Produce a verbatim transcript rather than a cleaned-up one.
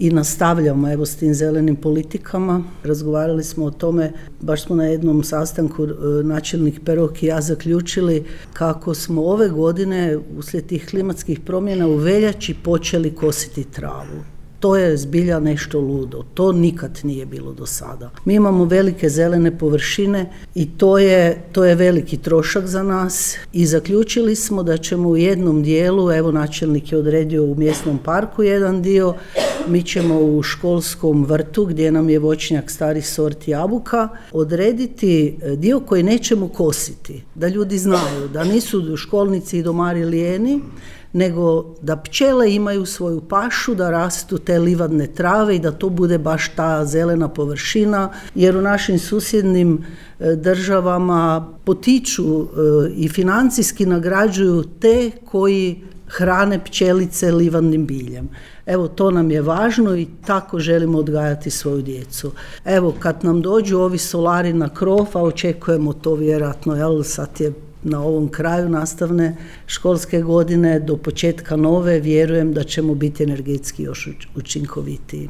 i nastavljamo evo s tim zelenim politikama. Razgovarali smo o tome, baš smo na jednom sastanku načelnik Perok i ja zaključili kako smo ove godine uslijed tih klimatskih promjena u veljači počeli kositi travu. To je zbilja nešto ludo, to nikad nije bilo do sada. Mi imamo velike zelene površine i to je, to je veliki trošak za nas i zaključili smo da ćemo u jednom dijelu, evo načelnik je odredio u mjesnom parku jedan dio, mi ćemo u školskom vrtu gdje nam je voćnjak starih sorti jabuka odrediti dio koji nećemo kositi, da ljudi znaju da nisu školnici i domari lijeni, nego da pčele imaju svoju pašu, da rastu te livadne trave i da to bude baš ta zelena površina, jer u našim susjednim državama potiču i financijski nagrađuju te koji hrane pčelice livadnim biljem. Evo, to nam je važno i tako želimo odgajati svoju djecu. Evo, kad nam dođu ovi solari na krov, a očekujemo to vjerojatno, jel, sad je na ovom kraju nastavne školske godine do početka nove, vjerujem da ćemo biti energetski još učinkovitiji.